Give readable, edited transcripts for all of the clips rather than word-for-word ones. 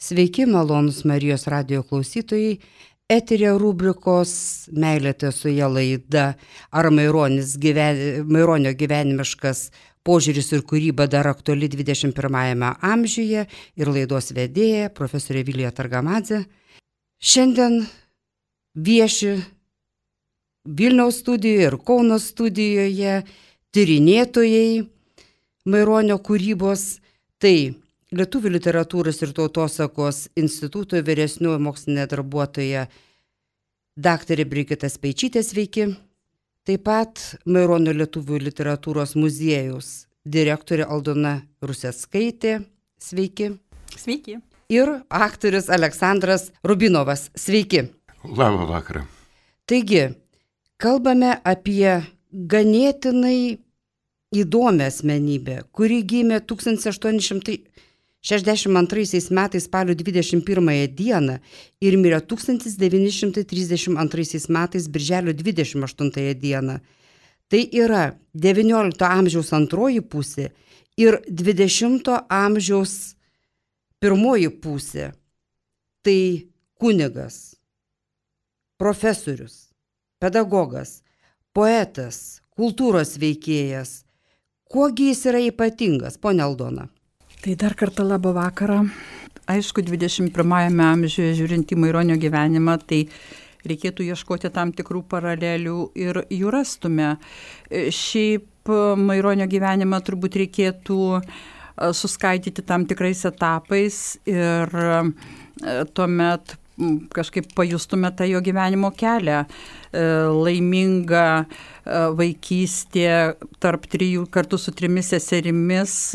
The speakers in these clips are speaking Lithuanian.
Sveiki, malonus Marijos radijo klausytojai. Eteryje rubrikos Meilė tiesoje laida ar Maironio gyvenimiškas požiūris ir kūryba dar aktuali 21 amžiuje ir laidos vedėja profesorė Vilija Targamadzė. Šiandien vieši Vilniaus studijoje ir Kauno studijoje tyrinėtojai Maironio kūrybos. Tai Lietuvių literatūros ir tautosakos instituto vyresnioji mokslinė darbuotoja daktarė Brigita Speičytė, sveiki. Taip pat Maironio lietuvių literatūros muziejaus direktorė Aldona Ruseckaitė, sveiki. Sveiki. Ir aktorius Aleksandras Rubinovas, sveiki. Labą vakarą. Taigi, kalbame apie ganėtinai įdomią asmenybę, kuri gimė 1862 metais spalio 21 dieną ir mirė 1932 metais birželio 28 dieną. Tai yra 19 amžiaus antroji pusė ir 20 amžiaus pirmoji pusė. Tai kunigas, profesorius, pedagogas, poetas, kultūros veikėjas. Kuogi jis yra ypatingas, ponia Aldona? Tai dar kartą labą vakarą. Aišku, 21 amžiuje žiūrint į Maironio gyvenimą, tai reikėtų ieškoti tam tikrų paralelių ir jų rastume. Šiaip Maironio gyvenimą turbūt reikėtų suskaidyti tam tikrais etapais ir tuomet kažkaip pajustume tą jo gyvenimo kelią. Laiminga vaikystė tarp 3 kartu su 3 seserimis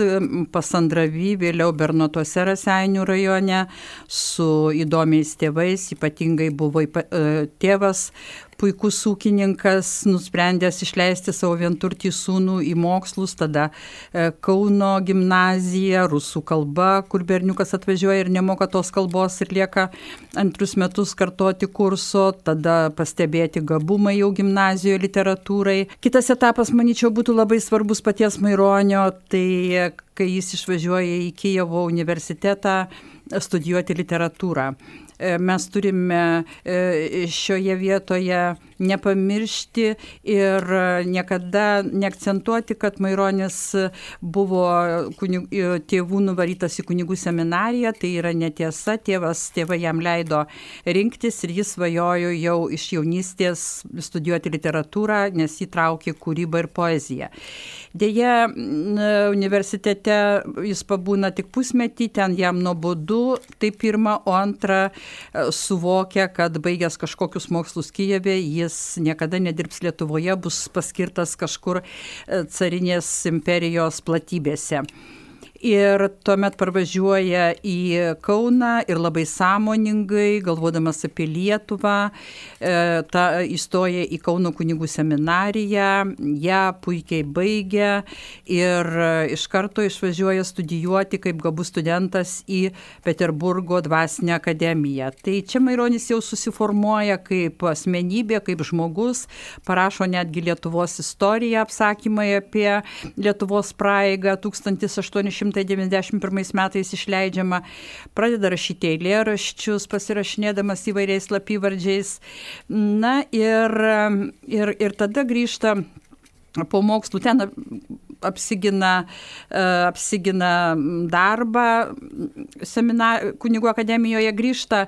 Pasandravy, vėliau Bernotuose Raseinių rajone, su įdomiais tėvais, ypatingai buvo tėvas puikus ūkininkas, nusprendęs išleisti savo vienturtį sūnų į mokslus, tada Kauno gimnazija, rusų kalba, kur berniukas atvažiuoja ir nemoka tos kalbos ir lieka 2 metus kartoti kurso, tada pastebėti gabumai jau gimnazijoje literatūrai. Kitas etapas, manyčiau, būtų labai svarbus paties Maironio, tai kai jis išvažiuoja į Kijevo universitetą studijuoti literatūrą. Mes turime šioje vietoje nepamiršti ir niekada neakcentuoti, kad Maironis buvo tėvų nuvarytas į kunigų seminariją. Tai yra netiesa, tėvai jam leido rinktis ir jis svajojo jau iš jaunystės studijuoti literatūrą, nes jį traukė kūryba ir poezija. Deja, universitete jis pabūna tik pusmetį, ten jam nuobodu, tai pirma, o antra, suvokia, kad baigęs kažkokius mokslus Kijeve, jis niekada nedirbs Lietuvoje, bus paskirtas kažkur carinės imperijos platybėse. Ir tuomet parvažiuoja į Kauną ir labai sąmoningai, galvodamas apie Lietuvą, įstoja į Kauno kunigų seminariją, ją puikiai baigia ir iš karto išvažiuoja studijuoti kaip gabus studentas į Peterburgo dvasinę akademiją. Tai čia Maironis jau susiformuoja kaip asmenybė, kaip žmogus, parašo netgi Lietuvos istoriją, apsakymai apie Lietuvos praeigą 1891 metais išleidžiama, pradeda rašyti eilėraščius, pasirašinėdamas įvairiais slapyvardžiais. Na ir tada grįžta po mokslų, ten apsigina darbą kunigų akademijoje, grįžta,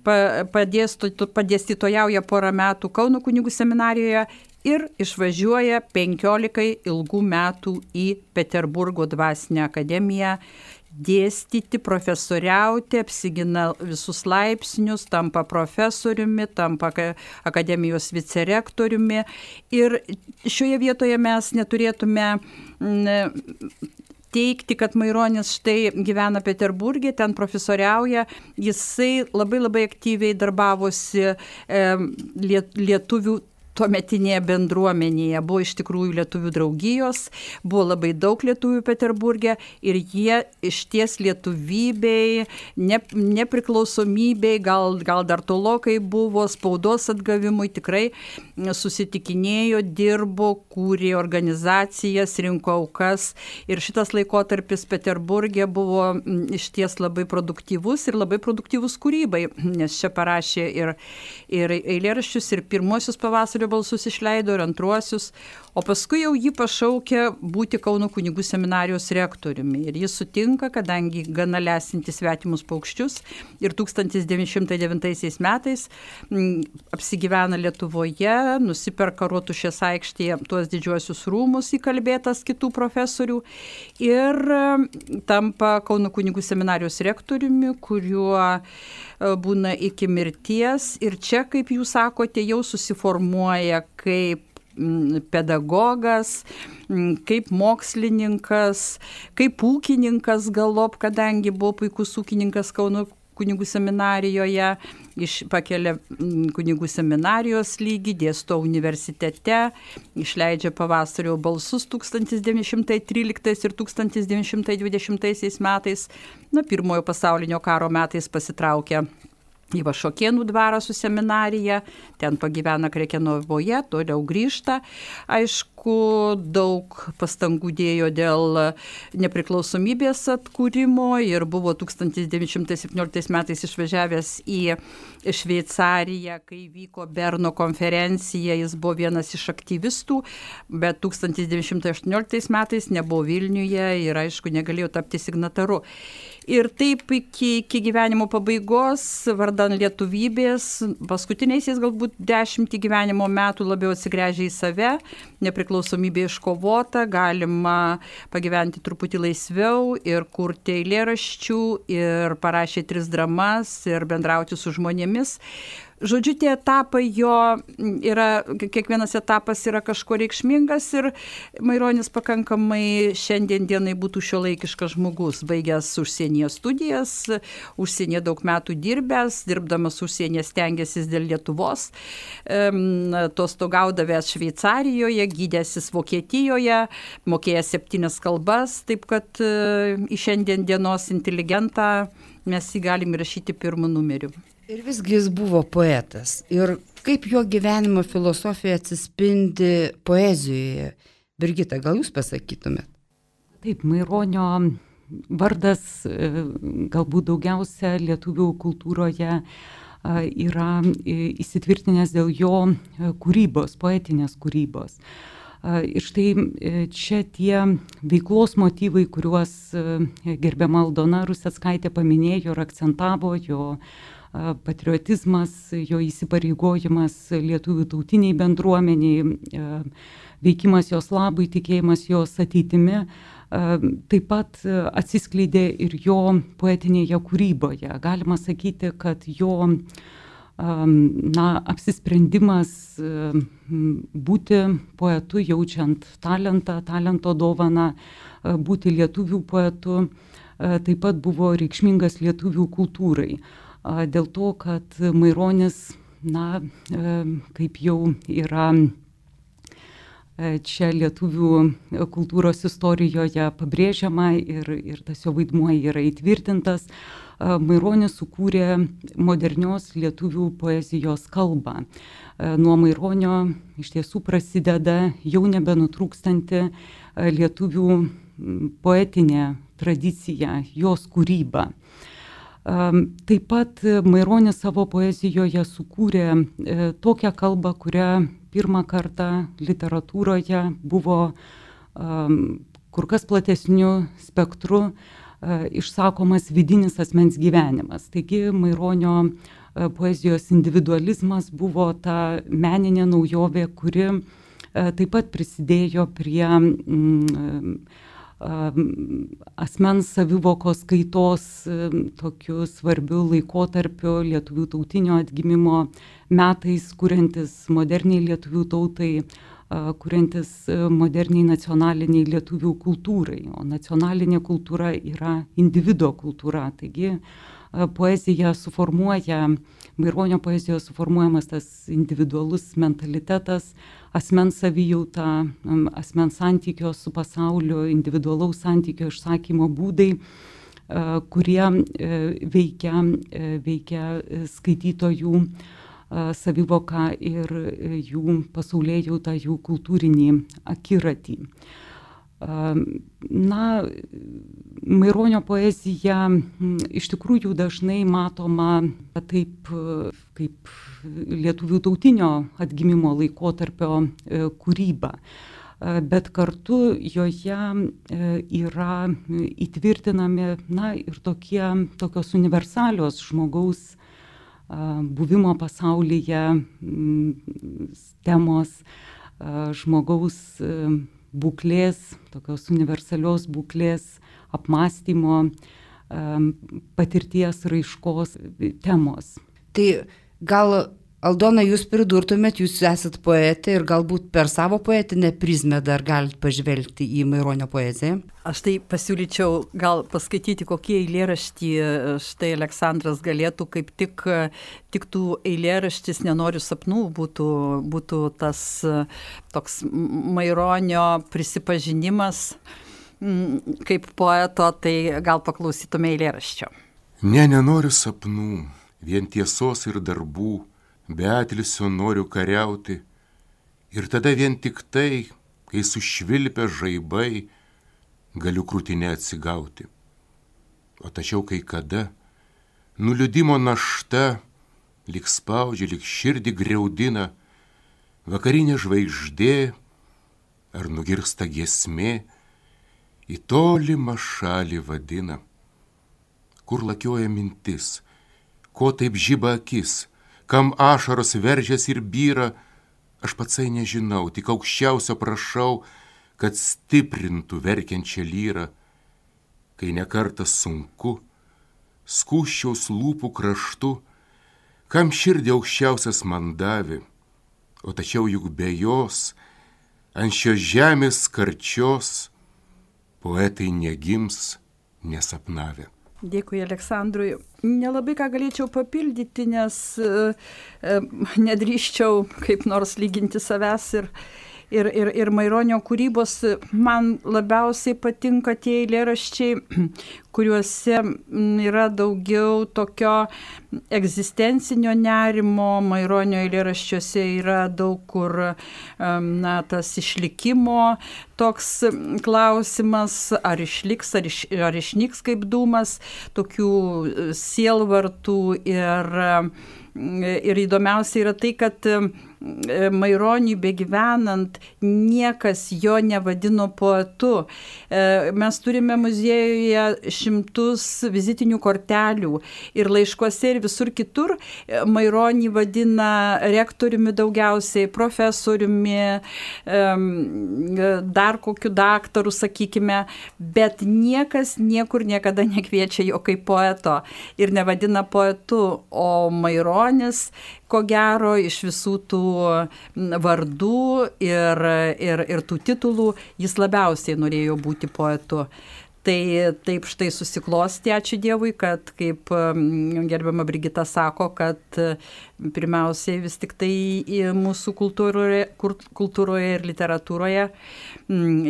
padėstytojauja porą metų Kauno kunigų seminarijoje ir išvažiuoja 15 ilgų metų į Peterburgo dvasinę akademiją dėstyti, profesoriauti, apsigina visus laipsnius, tampa profesoriumi, tampa akademijos vicerektoriumi. Ir šioje vietoje mes neturėtume teikti, kad Maironis štai gyvena Peterburge, ten profesoriauja. Jisai labai aktyviai darbavosi lietuvių tuometinėje bendruomenėje. Buvo iš tikrųjų lietuvių draugijos, buvo labai daug lietuvių Peterburge ir jie išties lietuvybei, nepriklausomybei, gal dar tolokai buvo, spaudos atgavimui tikrai susitikinėjo, dirbo, kūrė organizacijas, rinko aukas ir šitas laikotarpis Peterburge buvo išties labai produktyvus ir labai produktyvus kūrybai, nes čia parašė ir eilėraščius, ir pirmuosius Pavasario balsus išleido, ir antruosius, o paskui jau jį pašaukė būti Kauno kunigų seminarijos rektoriumi. Ir jis sutinka, kadangi gana lesinti svetimus paukščius ir 1909 metais apsigyvena Lietuvoje, nusiperka Rotušės aikštėje tuos didžiuosius rūmus įkalbėtas kitų profesorių ir tampa Kauno kunigų seminarijos rektoriumi, kuriuo būna iki mirties. Ir čia, kaip jūs sakote, jau susiformuoja kaip pedagogas, kaip mokslininkas, kaip ūkininkas galop, kadangi buvo puikus ūkininkas Kauno kunigų seminarijoje, pakelia kunigų seminarijos lygį, dėsto universitete, išleidžia Pavasario balsus 1913 ir 1920 metais, Pirmojo pasaulinio karo metais pasitraukia į Vašokėnų dvarą su seminarija, ten pagyvena Krekenavoje, toliau grįžta. Aišku, daug pastangų dėjo dėl nepriklausomybės atkūrimo ir buvo 1917 metais išvažiavęs į Šveicariją, kai vyko Berno konferencija, jis buvo vienas iš aktyvistų, bet 1918 metais nebuvo Vilniuje ir aišku negalėjo tapti signataru. Ir taip iki gyvenimo pabaigos, vardan lietuvybės, paskutiniaisiais galbūt 10 gyvenimo metų labiau atsigręžė į save, nepriklausomybė iškovota, galima pagyventi truputį laisviau ir kurti eilėraščių, ir parašė 3 dramas, ir bendrauti su žmonėmis. Žodžiu, tie etapai jo yra, kiekvienas etapas yra kažko reikšmingas ir Maironis pakankamai šiandien dienai būtų šiuolaikiškas žmogus, baigęs užsienyje studijas, užsienyje daug metų dirbdamas užsienyje stengiasis dėl Lietuvos, atostogaudavęs Šveicarijoje, gydęsis Vokietijoje, mokėjęs 7 kalbas, taip kad į šiandien dienos inteligentą mes jį galim įrašyti 1 numeriu. Ir visgi jis buvo poetas. Ir kaip jo gyvenimo filosofija atsispindi poezijoje? Birgita, gal jūs pasakytumėt? Taip, Maironio vardas galbūt daugiausia lietuvių kultūroje yra įsitvirtinęs dėl jo kūrybos, poetinės kūrybos. Ir štai čia tie veiklos motyvai, kuriuos gerbiama Aldona Ruseckaitė paminėjo ir akcentavo, jo patriotizmas, jo įsipareigojimas lietuvių tautiniai bendruomeniai, veikimas jos labui, tikėjimas jos ateitimi, taip pat atsiskleidė ir jo poetinėje kūryboje. Galima sakyti, kad jo apsisprendimas būti poetu, jaučiant talento dovaną, būti lietuvių poetu, taip pat buvo reikšmingas lietuvių kultūrai. Dėl to, kad Maironis, kaip jau yra čia lietuvių kultūros istorijoje pabrėžiama ir tas jo vaidmuo yra įtvirtintas, Maironis sukūrė modernios lietuvių poezijos kalbą. Nuo Maironio iš tiesų prasideda jau nebenutrūkstanti lietuvių poetinė tradicija, jos kūryba. Taip pat Maironis savo poezijoje sukūrė tokią kalbą, kurią pirmą kartą literatūroje buvo kur kas platesniu spektru išsakomas vidinis asmens gyvenimas. Taigi Maironio poezijos individualizmas buvo ta meninė naujovė, kuri taip pat prisidėjo prie asmens savivokos kaitos tokiu svarbiu laikotarpiu lietuvių tautinio atgimimo metais, kuriantis moderniai lietuvių tautai, kuriantis moderniai nacionaliniai lietuvių kultūrai, o nacionalinė kultūra yra individo kultūra. Taigi poezija suformuoja, Maironio poezijoje suformuojamas tas individualus mentalitetas, asmens savijauta, asmens santykio su pasauliu, individualaus santykio išsakymo būdai, kurie veikia skaitytojų savivoką ir jų pasaulėjautą, jų kultūrinį akiratį. Na, Maironio poezija iš tikrųjų dažnai matoma taip kaip lietuvių tautinio atgimimo laikotarpio kūryba, bet kartu joje yra įtvirtinami ir tokios universalios žmogaus buvimo pasaulyje temos, žmogaus būklės, tokios universalios būklės, apmąstymo, patirties raiškos temos. Tai gal, Aldona, jūs pridurtumėt, jūs esat poetė ir galbūt per savo poetinę prizmę dar galite pažvelgti į Maironio poeziją? Aš tai pasiūlyčiau gal paskaityti, kokie eilėraštį štai Aleksandras galėtų kaip tik tų eilėraštis Nenoriu sapnų būtų tas toks Maironio prisipažinimas kaip poeto, tai gal paklausytume eilėraščio. Nenoriu sapnų, vien tiesos ir darbų, be atilsio noriu kariauti, ir tada vien tik tai, kai sušvilpia žaibai, galiu krūtinę atsigauti. O tačiau kai kada nuliūdimo našta lyg spaudžia, lyg širdį griaudina, vakarinė žvaigždė ar nugirsta giesmė į tolimą šalį vadina. Kur lakioja mintis, ko taip žiba akis, kam ašaros veržias ir byra, aš patsai nežinau, tik aukščiausio prašau, kad stiprintų verkiančią lyrą, kai nekartas sunku, skūsčiaus lūpų kraštu, kam širdį aukščiausias man davė, o tačiau juk be jos, ant šios žemės karčios, poetai negims nesapnavę. Dėkui Aleksandrui. Nelabai ką galėčiau papildyti, nes nedrįščiau kaip nors lyginti savęs ir Maironio kūrybos. Man labiausiai patinka tie eilėraščiai, kuriuose yra daugiau tokio egzistencinio nerimo. Maironio eilėraščiuose yra daug kur tas išlikimo toks klausimas, ar išliks, ar išnyks kaip dūmas, tokių sielvartų ir įdomiausia yra tai, kad Maironiui begyvenant niekas jo nevadino poetu. Mes turime muziejuje šimtus vizitinių kortelių ir laiškuose ir visur kitur Maironį vadina rektoriumi daugiausiai, profesoriumi, dar kokiu daktaru, sakykime, bet niekas niekur niekada nekviečia jo kaip poeto ir nevadina poetu, o Maironis, ko gero, iš visų tų vardų ir tų titulų jis labiausiai norėjo būti poetu. Tai taip štai susiklosti, ačiū Dievui, kad, kaip gerbiama Brigita sako, kad pirmiausiai vis tik tai mūsų kultūroje ir literatūroje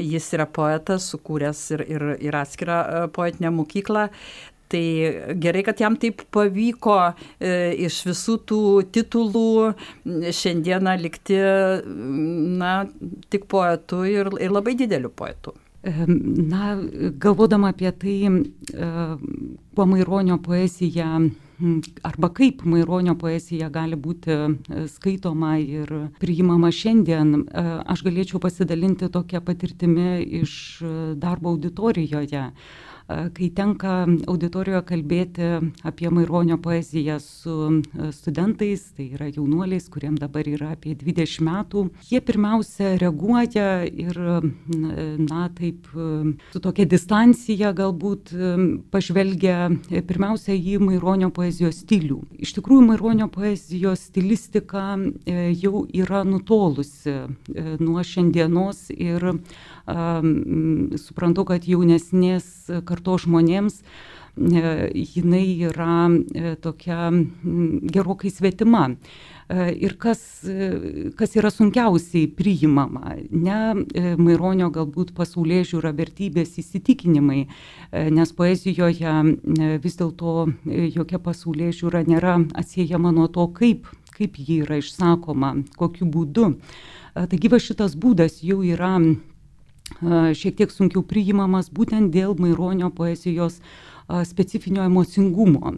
jis yra poetas, sukūręs ir atskirą poetinę mokyklą. Tai gerai, kad jam taip pavyko iš visų tų titulų šiandieną likti tik poetu ir labai dideliu poetu. Na, galvodama apie tai, kuo Maironio poezija arba kaip Maironio poezija gali būti skaitoma ir priimama šiandien, aš galėčiau pasidalinti tokią patirtimį iš darbo auditorijoje. Kai tenka auditorijoje kalbėti apie Maironio poeziją su studentais, tai yra jaunuoliais, kuriem dabar yra apie 20 metų, jie pirmiausia reaguoja ir, taip, su tokia distancija galbūt pažvelgia pirmiausia į Maironio poezijos stilių. Iš tikrųjų, Maironio poezijos stilistika jau yra nutolusi nuo šiandienos ir suprantu, kad jaunesnės kartos žmonėms jinai yra tokia gerokai svetima. Ir kas yra sunkiausiai priimama, ne Maironio galbūt pasaulėžiūra, vertybės, įsitikinimai, nes poezijoje vis dėlto jokia pasaulėžiūra nėra atsiejama nuo to, kaip ji yra išsakoma, kokiu būdu. Taigi va šitas būdas jau yra šiek tiek sunkiau priimamas būtent dėl Maironio poezijos specifinio emocingumo,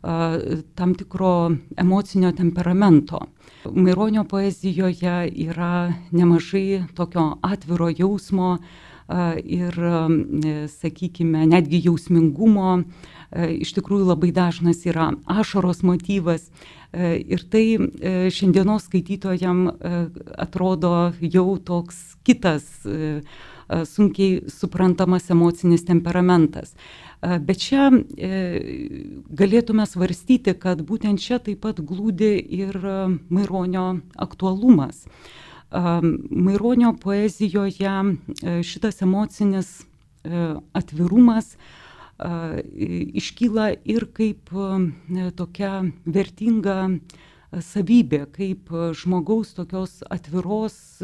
tam tikro emocinio temperamento. Maironio poezijoje yra nemažai tokio atviro jausmo ir, sakykime, netgi jausmingumo. Iš tikrųjų labai dažnas yra ašaros motyvas ir tai šiandienos skaitytojam atrodo jau toks kitas sunkiai suprantamas emocinis temperamentas. Bet čia galėtume svarstyti, kad būtent čia taip pat glūdi ir Maironio aktualumas. Maironio poezijoje šitas emocinis atvirumas iškyla ir kaip tokia vertinga savybė, kaip žmogaus tokios atviros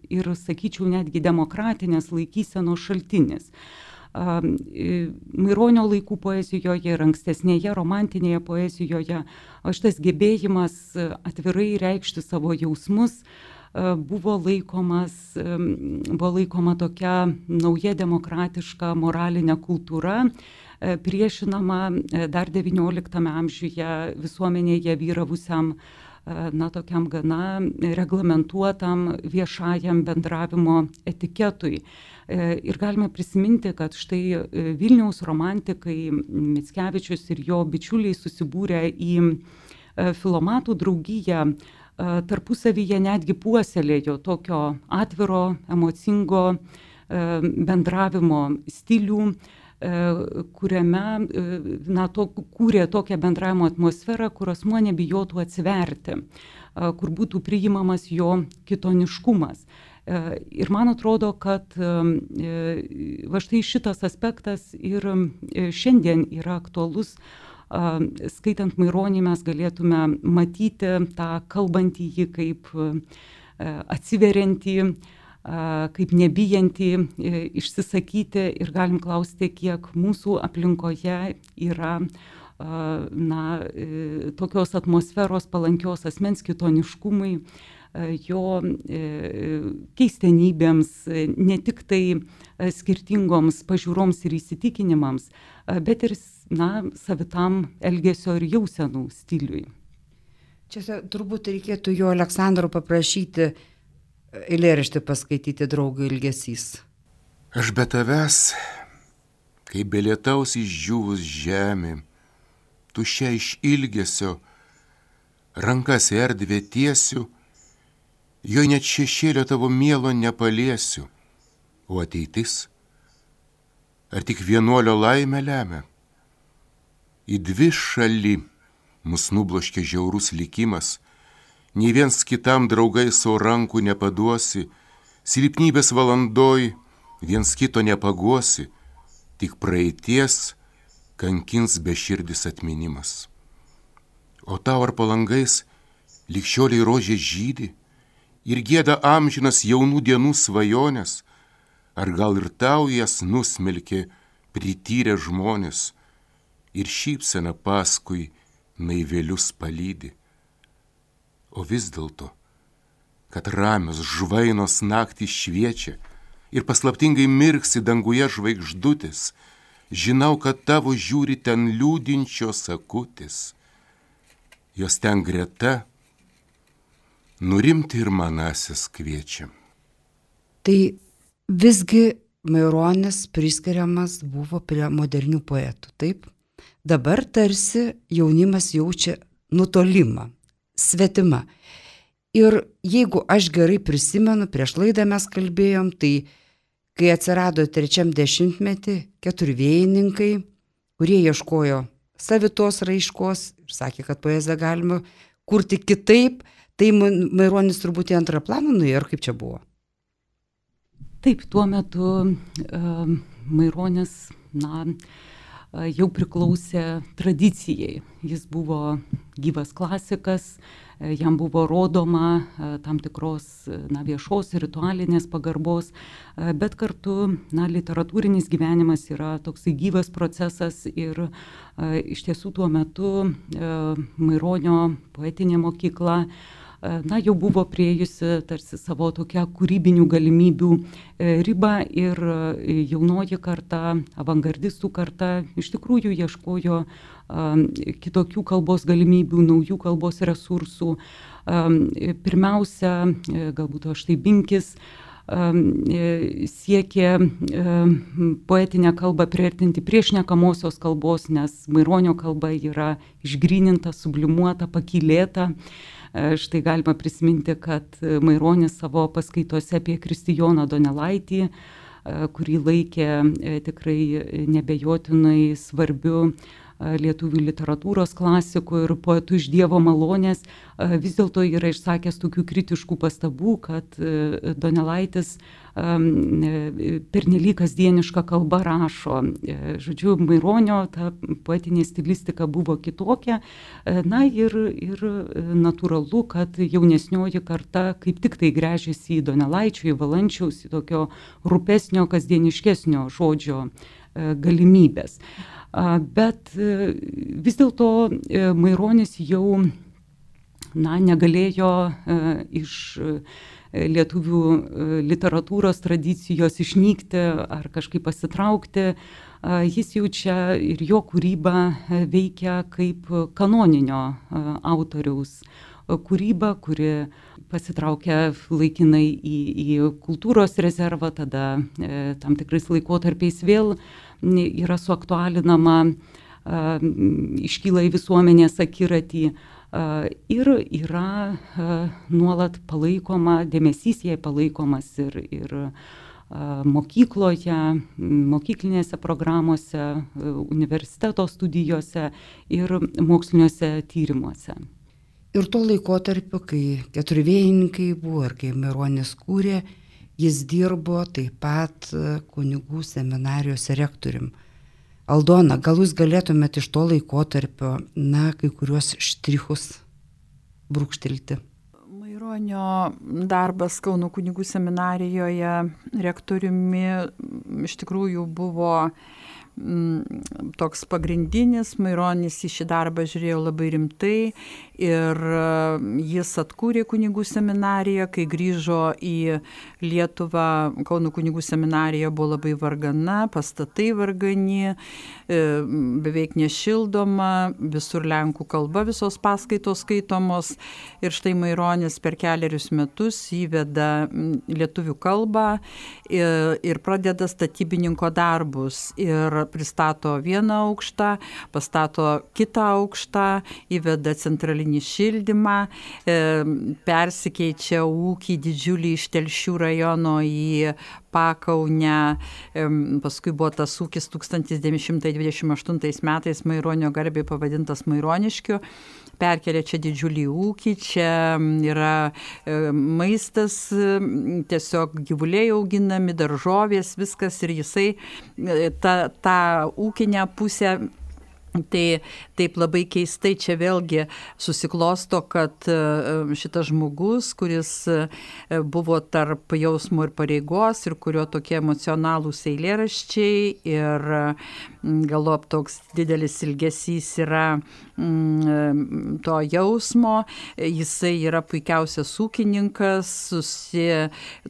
ir, sakyčiau, netgi demokratinės laikysenos šaltinis. Maironio laikų poezijoje ir ankstesnėje romantinėje poezijoje šitas gebėjimas atvirai reikšti savo jausmus buvo laikoma tokia nauja demokratiška moralinė kultūra, priešinama dar XIX amžiuje visuomenėje vyravusiam tokiam gana reglamentuotam viešajam bendravimo etiketui. Ir galime prisiminti, kad štai Vilniaus romantikai Mickevičius ir jo bičiuliai susibūrę į filomatų draugiją, tarpusavyje netgi puoselėjo tokio atviro, emocingo bendravimo stilių, kuriame kūrė tokią bendravimo atmosferą, kur asmuo nebijotų atsiverti, kur būtų priimamas jo kitoniškumas. Ir man atrodo, kad va štai šitas aspektas ir šiandien yra aktualus. Skaitant Maironį mes galėtume matyti tą kalbantįjį kaip atsiveriantį, kaip nebijantį išsisakyti ir galim klausti, kiek mūsų aplinkoje yra tokios atmosferos palankios asmens kitoniškumui, jo keistenybėms, ne tik tai skirtingoms pažiūroms ir įsitikinimams, bet ir savitam elgesio ir jausenų stiliui. Čia turbūt reikėtų jo Aleksandro paprašyti eilėraštį paskaityti Draugo ilgesys. Aš be tavęs, kaip be lietaus išdžiūvus žemė, tuščia iš ilgesio, rankas į erdvę tiesiu, jo net šešėlio tavo mielo nepaliesiu, o ateitis, ar tik vienuolio laimę lemia? Į dvi šalį mus nubloškė žiaurus likimas, nei viens kitam draugai savo rankų nepaduosi, silpnybės valandoj viens kito nepaguosi, tik praeities kankins beširdis atminimas. O tau ar palangais likščioliai rožė žydi ir gieda amžinas jaunų dienų svajonės, ar gal ir tau jas nusmelkė prityrę žmonės ir šypsena paskui naivelius palydi. O vis dėlto, kad ramios žvainos naktys šviečia ir paslaptingai mirksi danguje žvaigždutės, žinau, kad tavo žiūri ten liūdinčios akutės. Jos ten greta nurimti ir manasis kviečia. Tai visgi Maironis priskiriamas buvo prie modernių poetų, taip? Dabar tarsi jaunimas jaučia nutolimą, svetimą. Ir jeigu aš gerai prisimenu, prieš laidą mes kalbėjom, tai kai atsirado 3 dešimtmetį keturvėjininkai, kurie ieškojo savitos raiškos ir sakė, kad poeziją galima kurti kitaip, tai Maironis turbūt į antrą planą nuėjo, ar kaip čia buvo? Taip, tuo metu Maironis, jau priklausė tradicijai. Jis buvo gyvas klasikas, jam buvo rodoma tam tikros viešos ritualinės pagarbos, bet kartu literatūrinis gyvenimas yra toksai gyvas procesas ir iš tiesų tuo metu Maironio poetinė mokykla jau buvo priėjusi tarsi savo tokią kūrybinių galimybių ribą ir jaunoji karta, avangardistų karta iš tikrųjų ieškojo kitokių kalbos galimybių, naujų kalbos resursų. Pirmiausia, galbūt štai Binkis siekė poetinę kalbą priartinti prie šnekamosios kalbos, nes Maironio kalba yra išgryninta, sublimuota, pakylėta. Štai galima prisiminti, kad Maironis savo paskaitose apie Kristijoną Donelaitį, kurį laikė tikrai nebejotinai svarbiu lietuvių literatūros klasiku ir poetu iš Dievo malonės, vis dėlto yra išsakęs tokių kritiškų pastabų, kad Donelaitis pernelyg kasdienišką kalbą rašo. Žodžiu, Maironio ta poetinė stilistika buvo kitokia, ir natūralu, kad jaunesnioji karta kaip tik tai gręžiasi į Donelaičio, į Valančiaus, į tokio rūpesnio, kasdieniškesnio žodžio galimybės. Bet vis dėlto Maironis jau negalėjo iš lietuvių literatūros tradicijos išnykti ar kažkaip pasitraukti. Jis jau čia ir jo kūryba veikia kaip kanoninio autoriaus kūryba, kuri pasitraukia laikinai į kultūros rezervą, tada tam tikrais laikotarpiais vėl yra suaktualinama, iškyla į visuomenės akiratį ir yra nuolat palaikoma, dėmesys jai palaikomas ir mokykloje, mokyklinėse programuose, universiteto studijose ir moksliniuose tyrimuose. Ir tuo laikotarpiu, kai keturvėjininkai buvo ir kai Maironis kūrė, jis dirbo taip pat kunigų seminarijos rektorium. Aldona, gal jūs galėtumėte iš to laikotarpio, kai kuriuos štrichus brūkštelti? Maironio darbas Kauno kunigų seminarijoje rektoriumi iš tikrųjų buvo toks pagrindinis. Maironis į šį darbą žiūrėjo labai rimtai ir jis atkūrė kunigų seminariją. Kai grįžo į Lietuvą, Kauno kunigų seminarija buvo labai vargana, pastatai vargani, beveik nešildoma, visur lenkų kalba visos paskaitos skaitomos ir štai Maironis per 4 metus įveda lietuvių kalbą ir pradeda statybininko darbus ir pristato vieną aukštą, pastato kitą aukštą, įveda centralinį šildymą, persikeičia ūkį didžiulį iš Telšių rajono į Pakaunę, paskui buvo tas ūkis 1928 metais Maironio garbei pavadintas Maironiškiu, perkelia čia didžiulį ūkį, čia yra maistas, tiesiog gyvuliai auginami, daržovės, viskas ir jisai tą ūkinę pusę. Tai taip labai keistai čia vėlgi susiklosto, kad šitas žmogus, kuris buvo tarp jausmo ir pareigos ir kurio tokie emocionalūs eilėraščiai ir galop toks didelis ilgesys yra to jausmo, jisai yra puikiausias ūkininkas,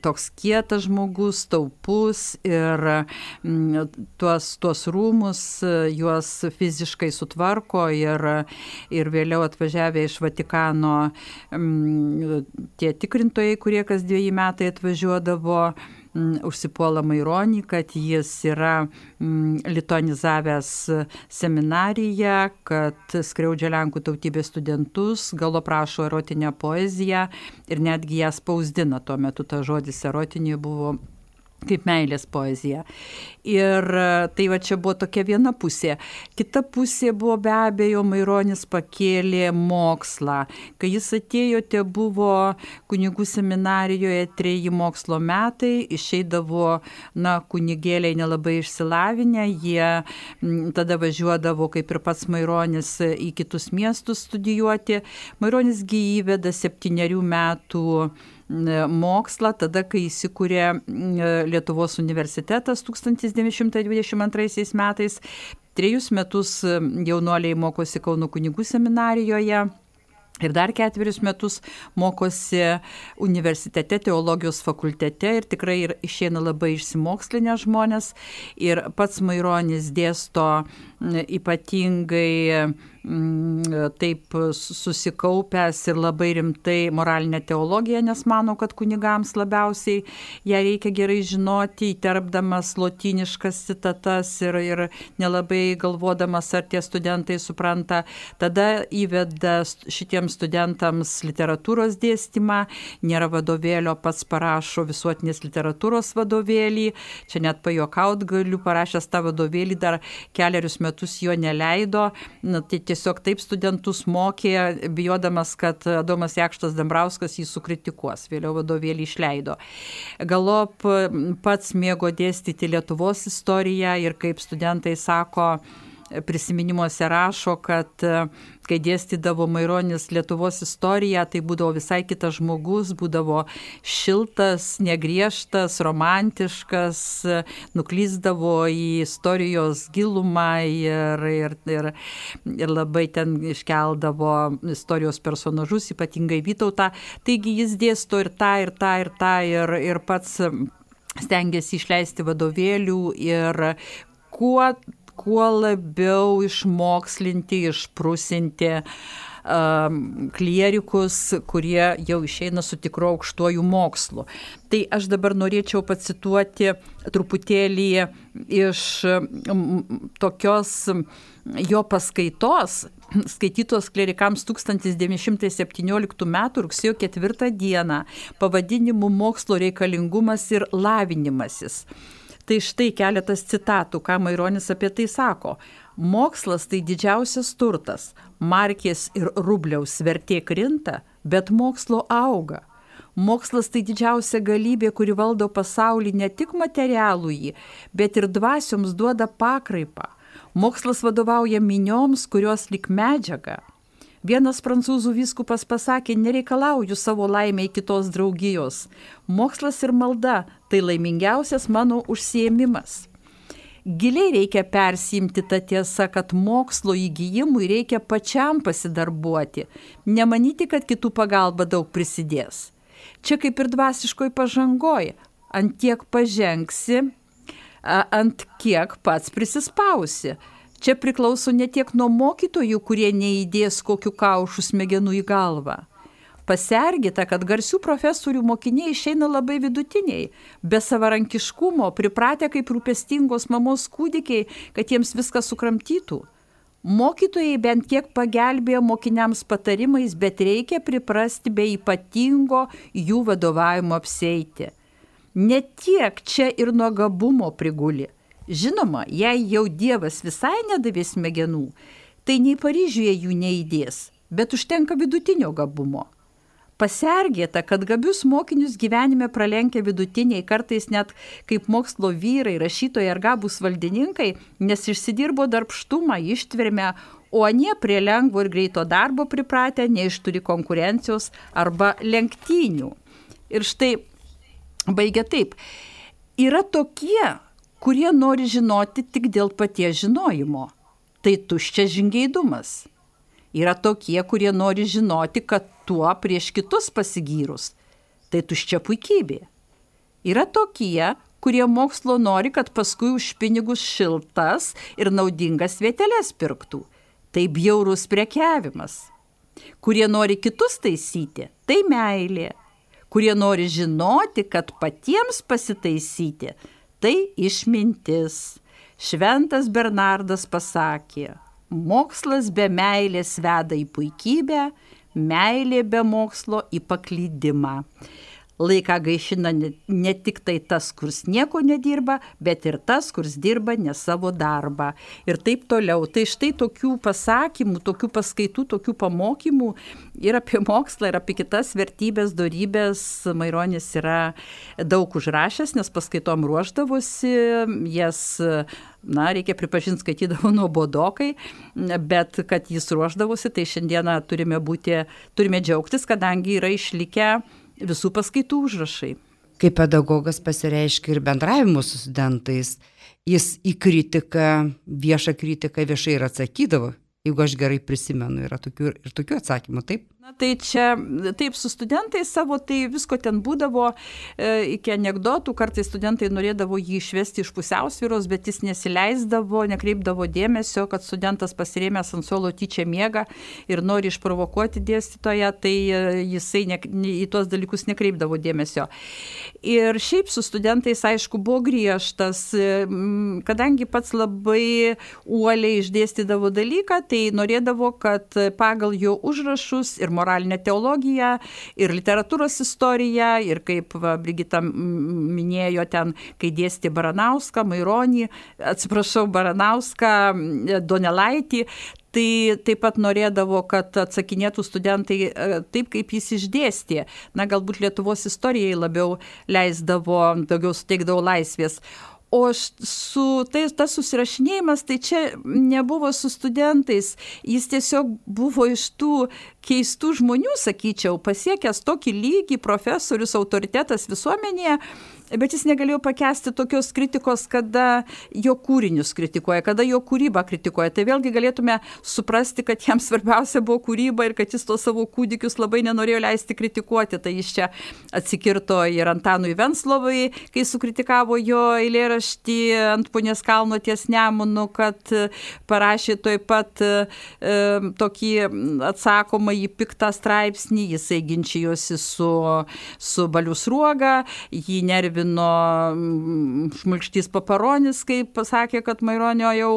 toks kietas žmogus, taupus ir tuos rūmus, juos fiziškai visiškai sutvarko ir vėliau atvažiavę iš Vatikano tie tikrintojai, kurie kas 2 metai atvažiuodavo, užsipuola Maironį, kad jis yra lituanizavęs seminariją, kad skriaudžia Lenkų tautybės studentus, galo prašo erotinę poeziją ir netgi ją spausdina. Tuo metu tas žodis erotinė buvo kaip meilės poezija. Ir tai va čia buvo tokia viena pusė. Kita pusė buvo be abejo, Maironis pakėlė mokslą. Kai jis atėjo, te buvo kunigų seminarijoje 3 mokslo metai, išeidavo kunigėliai nelabai išsilavinę, jie tada važiuodavo, kaip ir pats Maironis, į kitus miestus studijuoti. Maironis įveda 7 metų mokslą, tada, kai įsikūrė Lietuvos universitetas 1922 metais. 3 metus jaunuoliai mokosi Kauno kunigų seminarijoje ir dar 4 metus mokosi universitete, teologijos fakultete ir tikrai išeina labai išsimokslinę žmonės. Ir pats Maironis dėsto ypatingai taip susikaupęs ir labai rimtai moralinę teologiją, nes mano, kad kunigams labiausiai ją reikia gerai žinoti, įterpdamas lotyniškas citatas ir nelabai galvodamas, ar tie studentai supranta. Tada įveda šitiems studentams literatūros dėstymą, nėra vadovėlio, pats parašo visuotinės literatūros vadovėlį, čia net pajuokaut galiu, parašęs tą vadovėlį dar 4 metus jo neleido, tai tiesiog taip studentus mokė, bijodamas, kad Adomas Jakštas Dambrauskas jį sukritikuos. Vėliau vadovėlį išleido. Galop pats mėgo dėstyti Lietuvos istoriją ir kaip studentai sako, prisiminimuose rašo, kad kai dėstydavo Maironis Lietuvos istoriją, tai būdavo visai kitas žmogus, būdavo šiltas, negriežtas, romantiškas, nuklysdavo į istorijos gilumą ir labai ten iškeldavo istorijos personažus, ypatingai Vytautą. Taigi jis dėsto ir tą ir pats stengiasi išleisti vadovėlių ir kuo labiau išmokslinti, išprusinti klierikus, kurie jau išeina su tikru aukštuoju mokslu. Tai aš dabar norėčiau pacituoti truputėlį iš tokios jo paskaitos, skaitytos klerikams 1917 m. rugsėjo 4 d. pavadinimu Mokslo reikalingumas ir lavinimasis. Tai štai keletas citatų, ką Maironis apie tai sako. Mokslas tai didžiausias turtas. Markės ir rubliaus vertė krinta, bet mokslo auga. Mokslas tai didžiausia galybė, kuri valdo pasaulį ne tik materialųjį, bet ir dvasioms duoda pakraipą. Mokslas vadovauja minioms, kurios lik medžiaga. Vienas prancūzų vyskupas pasakė, nereikalauju savo laimei kitos draugijos. Mokslas ir malda tai laimingiausias mano užsiėmimas. Giliai reikia persiimti tą tiesą, kad mokslo įgijimui reikia pačiam pasidarbuoti, nemanyti, kad kitų pagalba daug prisidės. Čia kaip ir dvasiškoj pažangoj, ant tiek pažengsi, ant kiek pats prisispausi. Čia priklauso ne tiek nuo mokytojų, kurie neįdės kokių kaušų smegenų į galvą. Pasergita, kad garsių profesorių mokiniai išeina labai vidutiniai, be savarankiškumo, pripratę kaip rūpestingos mamos kūdikiai, kad jiems viską sukramtytų. Mokytojai bent kiek pagelbėjo mokiniams patarimais, bet reikia priprasti be ypatingo jų vadovavimo apsieiti. Ne tiek čia ir nuo gabumo priguli. Žinoma, jei jau Dievas visai nedavė smegenų, tai nei Paryžiuje jų neįdės, bet užtenka vidutinio gabumo. Pasergėta, kad gabius mokinius gyvenime pralenkia vidutiniai, kartais net kaip mokslo vyrai, rašytojai ar gabūs valdininkai, nes išsidirbo darbštumą, ištvermę, o anie prie lengvo ir greito darbo pripratę, neišturi konkurencijos arba lenktynių. Ir štai baigia taip. Yra tokie, kurie nori žinoti tik dėl paties žinojimo. Tai tuščias žingeidumas. Yra tokie, kurie nori žinoti, kad tuo prieš kitus pasigyrus. Tai tuščia puikybė. Yra tokie, kurie mokslo nori, kad paskui už pinigus šiltas ir naudingas vieteles pirktų. Tai bjaurus prekiavimas. Kurie nori kitus taisyti, tai meilė. Kurie nori žinoti, kad patiems pasitaisyti, tai išmintis. Šventas Bernardas pasakė, mokslas be meilės veda į puikybę, meilė be mokslo į paklydimą. Laiką gaišina ne tik tai tas, kurs nieko nedirba, bet ir tas, kurs dirba ne savo darbą. Ir taip toliau. Tai štai tokių pasakymų, tokių paskaitų, tokių pamokymų ir apie mokslą, ir apie kitas vertybės, dorybės Maironis yra daug užrašęs, nes paskaitom ruošdavosi, jas, reikia pripažinti, skaitydavo nuobodokai, bet kad jis ruošdavosi, tai šiandieną turime džiaugtis, kadangi yra išlikę visų paskaitų užrašai. Kaip pedagogas pasireiškia ir bendravimu su studentais, jis į kritiką, viešą kritiką viešai ir atsakydavo. Jeigu aš gerai prisimenu, yra tokių atsakymų, taip? Tai čia, taip, su studentais savo, tai visko ten būdavo, iki anekdotų, kartais studentai norėdavo jį išvesti iš pusiausvyros, bet jis nesileisdavo, nekreipdavo dėmesio, kad studentas pasirėmęs ant suolo tyčia miega ir nori išprovokuoti dėstytoją, tai jisai į tuos dalykus nekreipdavo dėmesio. Ir šiaip su studentais, aišku, buvo griežtas, kadangi pats labai uoliai išdėstydavo dalyką, tai norėdavo, kad pagal jo užrašus ir moralinę teologiją, ir literatūros istoriją, ir kaip Brigita minėjo ten, kai dėstė Baranauską, Baranauską, Donelaitį, tai taip pat norėdavo, kad atsakinėtų studentai taip, kaip jis išdėstė. Galbūt Lietuvos istorijai labiau leisdavo, daugiau suteikdavo laisvės. O tas susirašinėjimas, tai čia nebuvo su studentais, jis tiesiog buvo iš tų keistų žmonių, sakyčiau, pasiekęs tokį lygį, profesorius, autoritetas visuomenėje, bet jis negalėjo pakęsti tokios kritikos, kada jo kūrinius kritikuoja, kada jo kūrybą kritikuoja. Tai vėlgi galėtume suprasti, kad jam svarbiausia buvo kūryba ir kad jis tos savo kūdikius labai nenorėjo leisti kritikuoti. Tai jis čia atsikirto ir Antanui Venclovai, kai sukritikavo jo eilėraštį ant Punios kalno ties Nemunu, kad parašė taip pat tokį atsakomą į piktą straipsnį. Jisai ginčijosi su Baliu Sruoga, jį nervino Šmulkštys Paparonis, kai pasakė, kad Maironio jau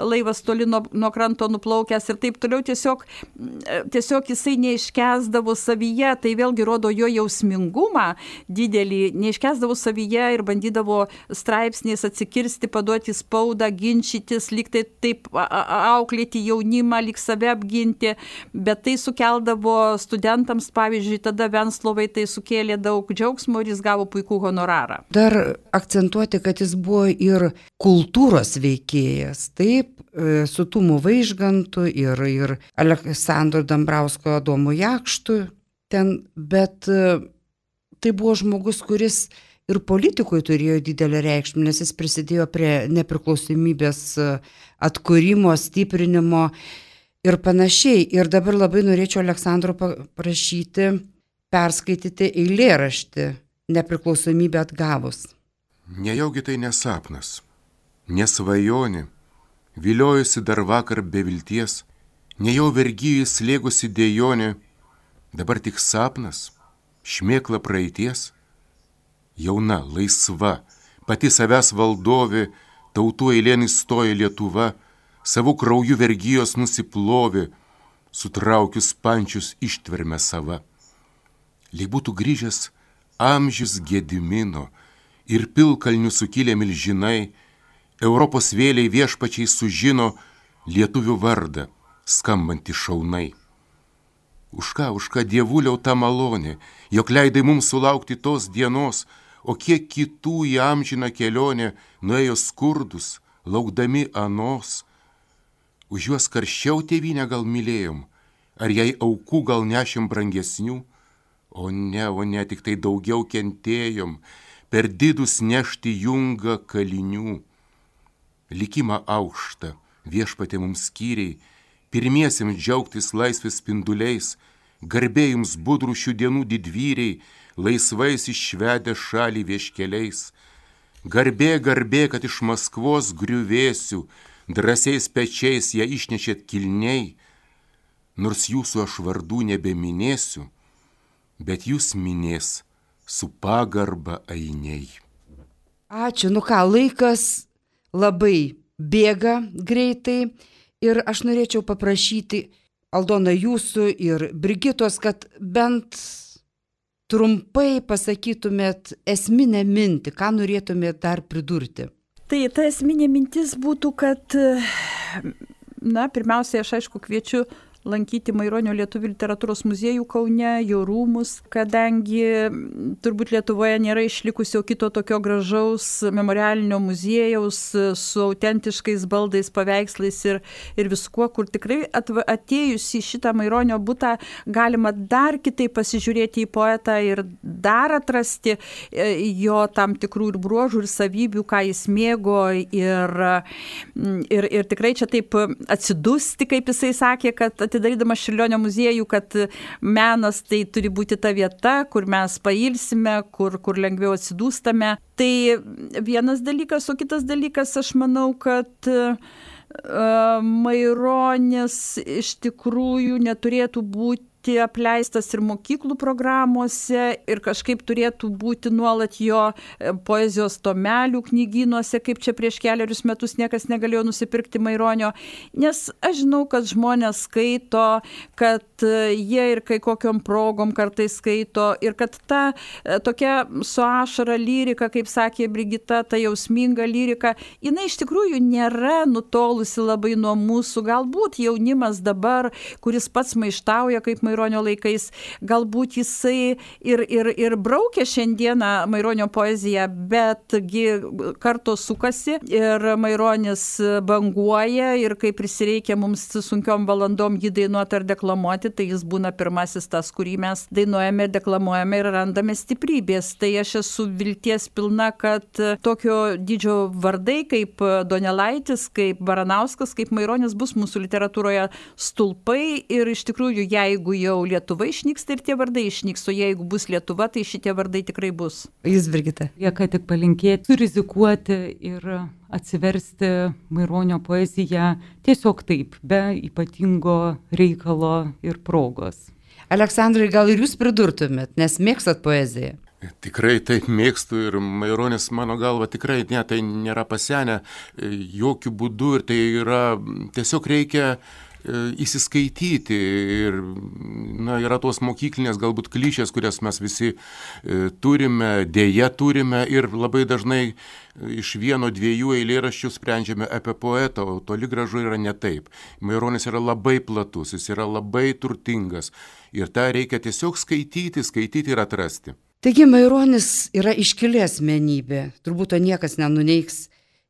laivas toli nuo kranto nuplaukęs ir taip toliau. Tiesiog jisai neiškęsdavo savyje, tai vėlgi rodo jo jausmingumą didelį, neiškęsdavo savyje ir bandydavo straipsniais atsikirsti, paduoti spaudą, ginčytis, lyg tai taip auklėti jaunimą, lyg save apginti, bet tai sukeldavo studentams, pavyzdžiui, tada Venclovai tai sukėlė daug džiaugsmo ir jis gavo puikų honorarą. Dar akcentuoti, kad jis buvo ir kultūros veikėjas, taip, su Tumu Vaižgantu ir Aleksandru Dambrausko Adomu Jakštu ten, bet tai buvo žmogus, kuris ir politikui turėjo didelę reikšmę, nes jis prisidėjo prie nepriklausomybės atkūrimo, stiprinimo ir panašiai. Ir dabar labai norėčiau Aleksandro paprašyti perskaityti eilėraštį Nepriklausomybę atgavus. Nejaugi tai nesapnas, nesvajonė, viliojusi dar vakar be vilties, nejau vergyjai slėgusi dejonė, dabar tik sapnas, šmėkla praeities. Jauna, laisva, pati savęs valdovė, tautų eilėn įstojo Lietuva, savų kraujų vergijos nusiplovė, sutraukius pančius ištverme sava. Lyg būtų grįžęs amžius Gedimino ir pilkalnių sukilę milžinai, Europos vėliai viešpačiai sužino lietuvių vardą, skambantį šaunai. Už ką dievuliau ta malonė, jog leidai mums sulaukti tos dienos, o kiek kitų į amžiną kelionę nuėjo skurdus, laukdami anos. Už juos karščiau tėvynę gal mylėjom, ar jai aukų gal nešim brangesnių? O ne, tik tai daugiau kentėjom, per didus nešti jungą kalinių. Likimą aukštą viešpatė mums skyriai, pirmiesiems džiaugtis laisvės spinduliais, garbė jums budrų šių dienų didvyriai, laisvais išvedę šalį vieškeliais. Garbė, garbė, kad iš Maskvos griuvėsių drąsiais pečiais ją išnešėt kilniai, nors jūsų aš vardų nebeminėsiu, bet jūs minės su pagarba ainiai. Ačiū, laikas labai bėga greitai ir aš norėčiau paprašyti Aldona jūsų ir Brigitos, kad bent trumpai pasakytumėt esminę mintį, ką norėtumėt dar pridurti. Tai ta esminė mintis būtų, kad, pirmiausia, aš aišku kviečiu lankyti Maironio lietuvių literatūros muziejų Kaune, jo rūmus, kadangi turbūt Lietuvoje nėra išlikusio kito tokio gražaus memorialinio muziejaus su autentiškais baldais, paveikslais ir viskuo, kur tikrai atėjus į šitą Maironio butą galima dar kitaip pasižiūrėti į poetą ir dar atrasti jo tam tikrų ir bruožų, ir savybių, ką jis mėgo ir tikrai čia taip atsidusti, kaip jisai sakė, kad atidarydamas Čiurlionio muziejų, kad menas tai turi būti ta vieta, kur mes pailsime, kur lengviau atsidūstame. Tai vienas dalykas, o kitas dalykas, aš manau, kad Maironis iš tikrųjų neturėtų būti apleistas ir mokyklų programuose ir kažkaip turėtų būti nuolat jo poezijos tomelių knygynuose, kaip čia prieš keliarius metus niekas negalėjo nusipirkti Maironio, nes aš žinau, kad žmonės skaito, kad jie ir kai kokiom progom kartais skaito ir kad ta tokia su ašara lyrika, kaip sakė Brigita, ta jausminga lyrika, jinai iš tikrųjų nėra nutolusi labai nuo mūsų, galbūt jaunimas dabar, kuris pats maištauja kaip Maironio laikais, galbūt jisai ir braukia šiandieną Maironio poeziją, betgi kartos sukasi ir Maironis banguoja ir kai prisireikia mums sunkiom valandom jį dainuoti ar deklamuoti, tai jis būna pirmasis tas, kurį mes dainuojame ir deklamuojame ir randame stiprybės. Tai aš esu vilties pilna, kad tokio dydžio vardai kaip Donelaitis, kaip Baranauskas, kaip Maironis bus mūsų literatūroje stulpai ir iš tikrųjų, jeigu jau Lietuva išnyks, tai ir tie vardai išnyks, o jeigu bus Lietuva, tai šitie vardai tikrai bus. Jūs, Brigita. Lieka tik palinkėti, surizikuoti ir atsiversti Maironio poeziją tiesiog taip, be ypatingo reikalo ir progos. Aleksandrai, gal ir jūs pridurtumėt, nes mėgstat poeziją? Tikrai taip mėgstu ir Maironis mano galva tikrai tai nėra pasenę jokių būdų ir tai yra, tiesiog reikia įsiskaityti ir yra tos mokyklinės galbūt klišės, kurias mes visi turime, dėja turime ir labai dažnai iš 1-2 eilėraščių sprendžiame apie poetą, o toli gražu yra ne taip. Maironis yra labai platus, jis yra labai turtingas ir tą reikia tiesiog skaityti ir atrasti. Taigi Maironis yra iškili asmenybė, turbūt to niekas nenuneigs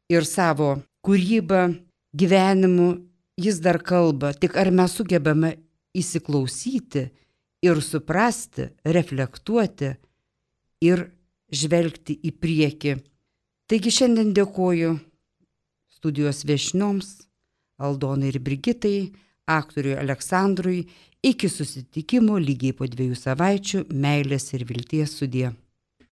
ir savo kūrybą, gyvenimu jis dar kalba, tik ar mes sugebame įsiklausyti ir suprasti, reflektuoti ir žvelgti į priekį. Taigi šiandien dėkoju studijos viešnioms, Aldonai ir Brigitai, aktoriui Aleksandrui, iki susitikimo lygiai po 2 savaičių, meilės ir vilties sudie.